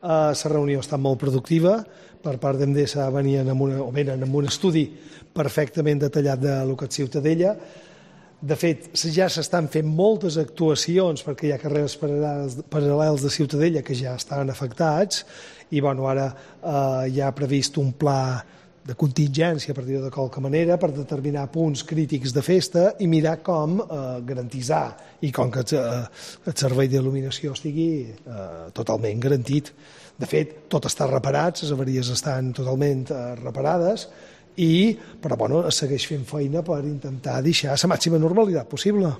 La reunió ha estat molt productiva. Per part d'Endesa venen amb un estudi perfectament detallat del que és Ciutadella. De fet, ja s'estan fent moltes actuacions perquè hi ha carrers paral·lels de Ciutadella que ja estan afectats i ara hi ha previst un pla de contingència, per dir-ho de qualque manera, per determinar punts crítics de festa i mirar com garantitzar i com que el servei d'il·luminació estigui totalment garantit. De fet, tot està reparat, les avaries estan totalment reparades, però es segueix fent feina per intentar deixar la màxima normalitat possible.